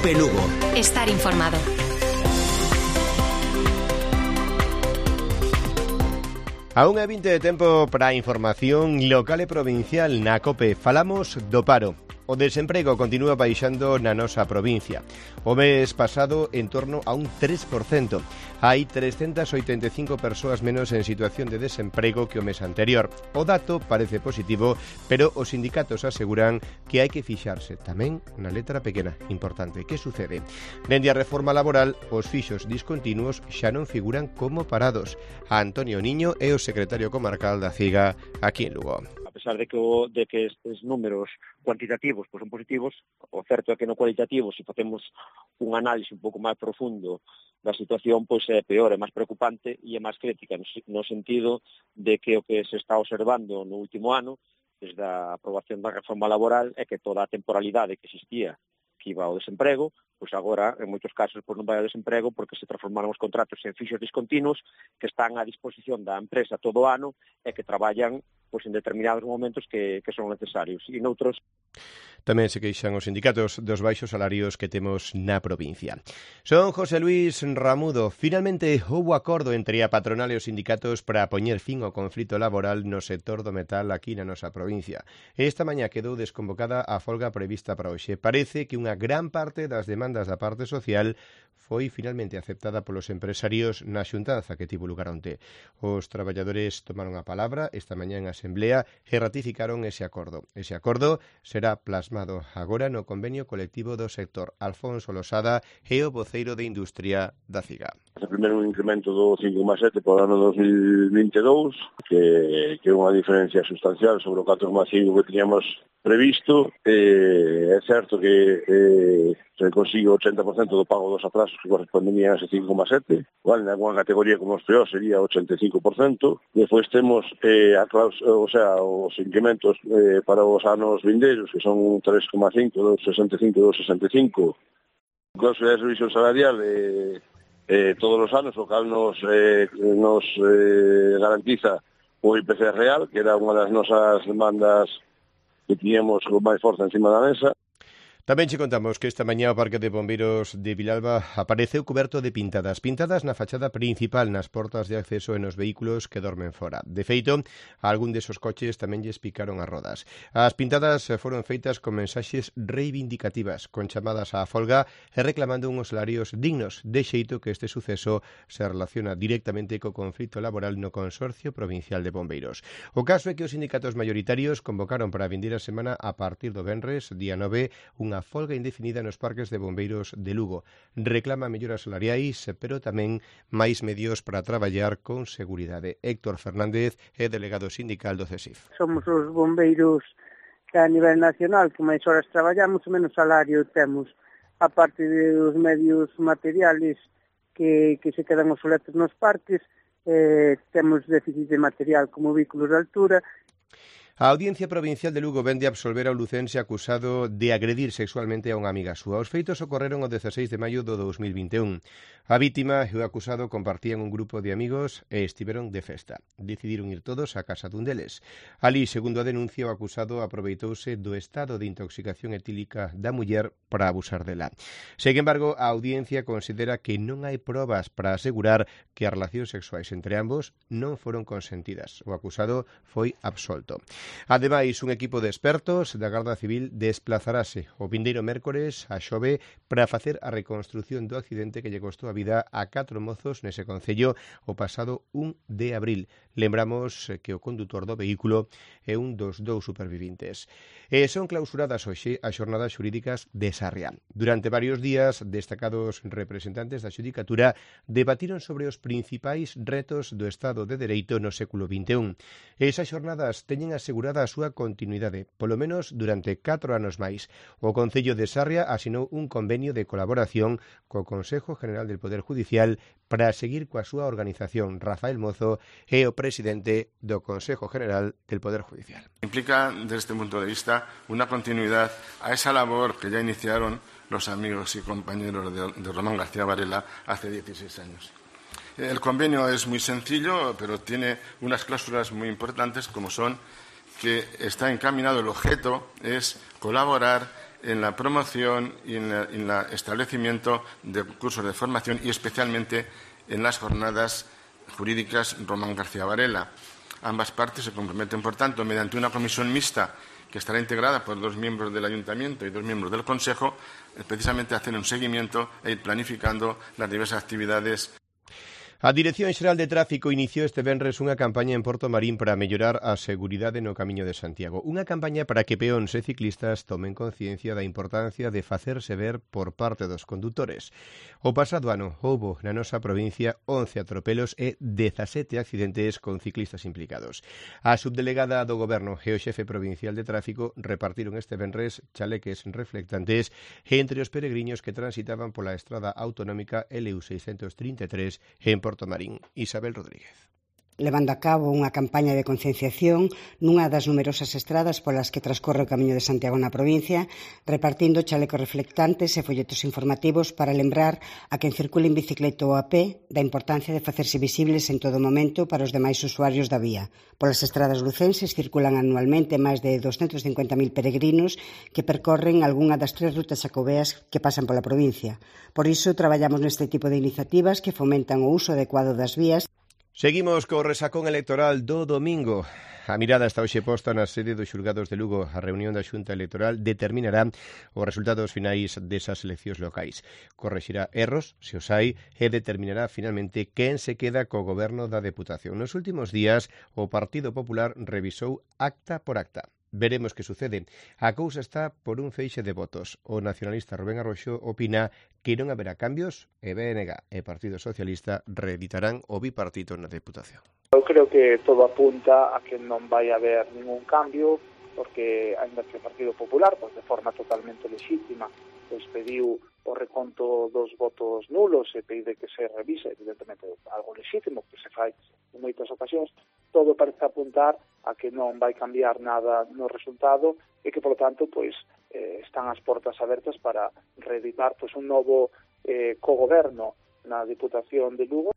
COPE Lugo. Estar informado. A 1:20 de tempo para a información local e provincial na COPE. Falamos do paro. O desemprego continúa baixando na nosa provincia. O mes pasado en torno a un 3%. Hai 385 persoas menos en situación de desemprego que o mes anterior. O dato parece positivo, pero os sindicatos aseguran que hai que fixarse tamén na letra pequena. Importante, que sucede? Dende a reforma laboral, os fixos discontinuos xa non figuran como parados. Antonio Niño é o secretario comarcal da CIGA aquí en Lugo. A pesar de que estes números cuantitativos son positivos, o certo é que no cualitativo, se facemos un análise un pouco máis profundo da situación, é peor, é máis preocupante e é máis crítica, no sentido de que o que se está observando no último ano, desde a aprobación da reforma laboral, é que toda a temporalidade que existía que iba ao desemprego, agora, en moitos casos, non vai ao desemprego porque se transformaron os contratos en fixos discontinuos que están á disposición da empresa todo o ano e que traballan en determinados momentos que son necesarios. E noutros tamén se queixan os sindicatos dos baixos salarios que temos na provincia. Son José Luis Ramudo. Finalmente houbo acordo entre a patronal e os sindicatos para poñer fin ao conflito laboral no sector do metal aquí na nosa provincia. Esta mañá quedou desconvocada a folga prevista para hoxe. Parece que unha gran parte das demandas da parte social foi finalmente aceptada polos empresarios na xuntanza que tivo lugar onte. Os traballadores tomaron a palabra esta mañá en asemblea e ratificaron ese acordo. Ese acordo será plasmado agora no convenio colectivo do sector. Alfonso Losada é o voceiro de Industria da CIGA. Primeiro un incremento do 5,7 por ano 2022, que é unha diferencia sustancial sobre o 4,5 que teníamos previsto. É certo que se consigue o 80% do pago dos atrasos que corresponderían a ese 5,7, igual en alguna categoría como os peor sería 85%. Despois temos os incrementos para os anos vindeiros, que son 3,5, 2,65 e 2,65. Cláusula de revisión salarial todos os anos, o cal nos garantiza o IPC real, que era unha das nosas demandas que tiñamos con máis forza encima da mesa. Tamén che contamos que esta mañá o Parque de Bombeiros de Vilalba apareceu coberto de pintadas na fachada principal, nas portas de acceso e nos vehículos que dormen fora. De feito, algún desos coches tamén lles picaron as rodas. As pintadas foron feitas con mensaxes reivindicativas, con chamadas á folga e reclamando unhos salarios dignos, de xeito que este suceso se relaciona directamente co conflito laboral no Consorcio Provincial de Bombeiros. O caso é que os sindicatos maioritarios convocaron para a vindeira semana a partir do venres, día 9, unha folga indefinida nos parques de bombeiros de Lugo. Reclama melloras salariais, pero tamén máis medios para traballar con seguridade. Héctor Fernández é delegado sindical do CESIF. Somos os bombeiros que a nivel nacional que máis horas traballamos e menos salario temos, a parte dos medios materiales que se quedan obsoletos nos parques, temos déficit de material como vehículos de altura. A Audiencia Provincial de Lugo vende a absolver ao lucense acusado de agredir sexualmente a unha amiga súa. Os feitos ocorreron o 16 de maio do 2021. A vítima e o acusado compartían un grupo de amigos e estiveron de festa. Decidiron ir todos á casa dun deles. Alí, segundo a denuncia, o acusado aproveitouse do estado de intoxicación etílica da muller para abusar dela. Sen embargo, a Audiencia considera que non hai probas para asegurar que as relacións sexuais entre ambos non foron consentidas. O acusado foi absolto. Ademais, un equipo de expertos da Garda Civil desplazarase o vindeiro mércores a Xove para facer a reconstrución do accidente que lle costou a vida a 4 mozos nese concello o pasado 1 de abril. Lembramos que o condutor do vehículo é un dos 2 supervivintes. Son clausuradas hoxe as xornadas xurídicas de Sarria. Durante varios días, destacados representantes da xudicatura debatiron sobre os principais retos do Estado de Dereito no século XXI. Esas xornadas teñen asegurada a súa continuidade, polo menos durante 4 anos máis. O Concello de Sarria asinou un convenio de colaboración co Consejo General del Poder Judicial para seguir coa súa organización. Rafael Mozo é o presidente do Consejo General del Poder Judicial. Implica, desde este punto de vista, una continuidad a esa labor que ya iniciaron los amigos y compañeros de Román García Varela hace 16 años. El convenio es muy sencillo, pero tiene unas cláusulas muy importantes, como son que está encaminado, el objeto es colaborar en la promoción y en el establecimiento de cursos de formación y especialmente en las jornadas jurídicas Román García Varela. Ambas partes se comprometen, por tanto, mediante una comisión mixta que estará integrada por 2 miembros del Ayuntamiento y 2 miembros del Consejo, precisamente a hacer un seguimiento e ir planificando las diversas actividades. A Dirección Xeral de Tráfico iniciou este venres unha campaña en Porto Marín para mellorar a seguridade no Camiño de Santiago. Unha campaña para que peóns e ciclistas tomen conciencia da importancia de facerse ver por parte dos condutores. O pasado ano houbo na nosa provincia 11 atropelos e 17 accidentes con ciclistas implicados. A subdelegada do Goberno e o xefe provincial de Tráfico repartiron este venres chaleques reflectantes entre os peregrinos que transitaban pola estrada autonómica LU 633 en Porto Marín. Isabel Rodríguez. Levando a cabo unha campaña de concienciación nunha das numerosas estradas polas que transcorre o Camiño de Santiago na provincia, repartindo chalecos reflectantes e folletos informativos para lembrar a quen circula en bicicleta ou a pé da importancia de facerse visibles en todo momento para os demais usuarios da vía. Polas estradas lucenses circulan anualmente máis de 250.000 peregrinos que percorren algunha das 3 rutas xacobeas que pasan pola provincia. Por iso, traballamos neste tipo de iniciativas que fomentan o uso adecuado das vías. Seguimos co resacón electoral do domingo. A mirada está hoxe posta na sede dos xulgados de Lugo. A reunión da Xunta Electoral determinará os resultados finais desas eleccións locais. Correxirá erros, se os hai, e determinará finalmente quen se queda co goberno da Deputación. Nos últimos días, o Partido Popular revisou acta por acta. Veremos que sucede. A cousa está por un feixe de votos. O nacionalista Rubén Arroxo opina que non haberá cambios e BNG e Partido Socialista reeditarán o bipartito na Deputación. Eu creo que todo apunta a que non vai haber ningún cambio, porque ainda que o Partido Popular, pois de forma totalmente lexítima, pois pediu o reconto dos votos nulos e pide que se revise, evidentemente algo lexítimo que se fai en moitas ocasións, todo parece apuntar a que non vai cambiar nada no resultado e que, polo tanto, pois están as portas abertas para reeditar pois un novo cogoberno na Diputación de Lugo.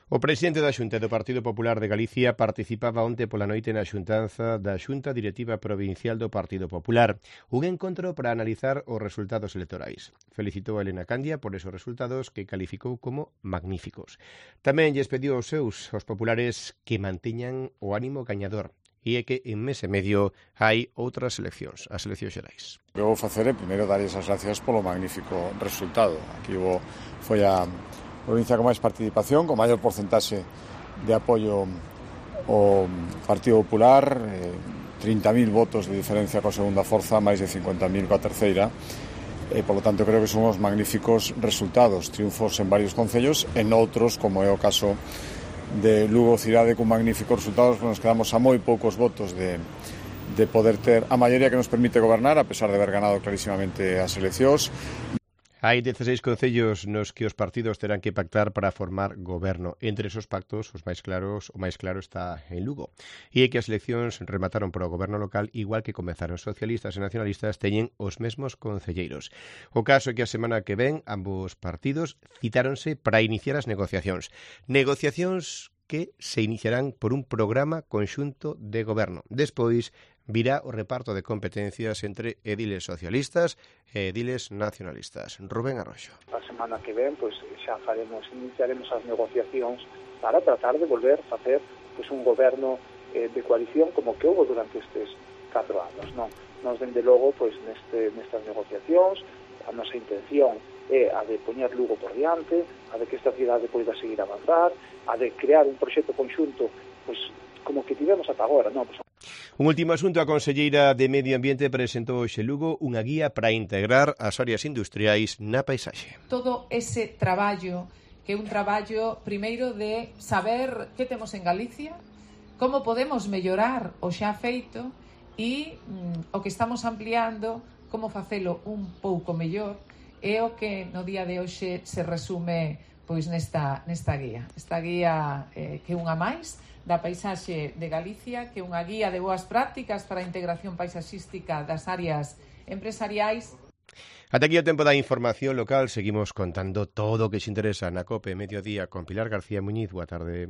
O presidente da Xunta do Partido Popular de Galicia participaba onte pola noite na xuntanza da Xunta Directiva Provincial do Partido Popular, un encontro para analizar os resultados electorais. Felicitou a Elena Candia por esos resultados que calificou como magníficos. Tamén lles pediu aos populares que manteñan o ánimo gañador e é que en mes e medio hai outras eleccións, as eleccións xerais. O que vou facer é primeiro dar as gracias polo magnífico resultado. Aquí foi a provincia con máis participación, con maior porcentaxe de apoio ao Partido Popular, 30.000 votos de diferencia coa segunda forza, máis de 50.000 coa terceira, e, polo tanto, creo que son os magníficos resultados, triunfos en varios concellos, en outros, como é o caso de Lugo Cidade, con magníficos resultados, nos quedamos a moi poucos votos de poder ter a maioría que nos permite gobernar, a pesar de haber ganado clarísimamente as eleccións. Hai 16 concellos nos que os partidos terán que pactar para formar goberno. Entre esos pactos, o máis claro está en Lugo. E é que as eleccións remataron para o goberno local, igual que comezaron socialistas e nacionalistas, teñen os mesmos concelleiros. O caso é que a semana que ven, ambos partidos citáronse para iniciar as negociacións. Negociacións que se iniciarán por un programa conxunto de goberno. Despois virá o reparto de competencias entre ediles socialistas e ediles nacionalistas. Rubén Arroxo. A semana que ven, pois xa iniciaremos as negociacións para tratar de volver a facer pois un goberno de coalición como que houve durante estes 4 anos, non? Nos, dende logo, pois nestas negociacións, a nosa intención é a de poñer Lugo por diante, a de que esta cidade poida seguir a avanzar, a de crear un proxecto conxunto, pois como que tivemos ata agora, non? Pois, un último asunto, a conselleira de Medio Ambiente presentou hoxe Lugo unha guía para integrar as áreas industriais na paisaxe. Todo ese traballo, que é un traballo primeiro de saber que temos en Galicia, como podemos mellorar o xa feito e o que estamos ampliando, como facelo un pouco mellor, é o que no día de hoxe se resume pois nesta guía. Esta guía que unha máis da paisaxe de Galicia, que é unha guía de boas prácticas para a integración paisaxística das áreas empresariais. Ata aquí o tempo da información local. Seguimos contando todo o que se interesa na COPE Mediodía con Pilar García Muñiz. Boa tarde.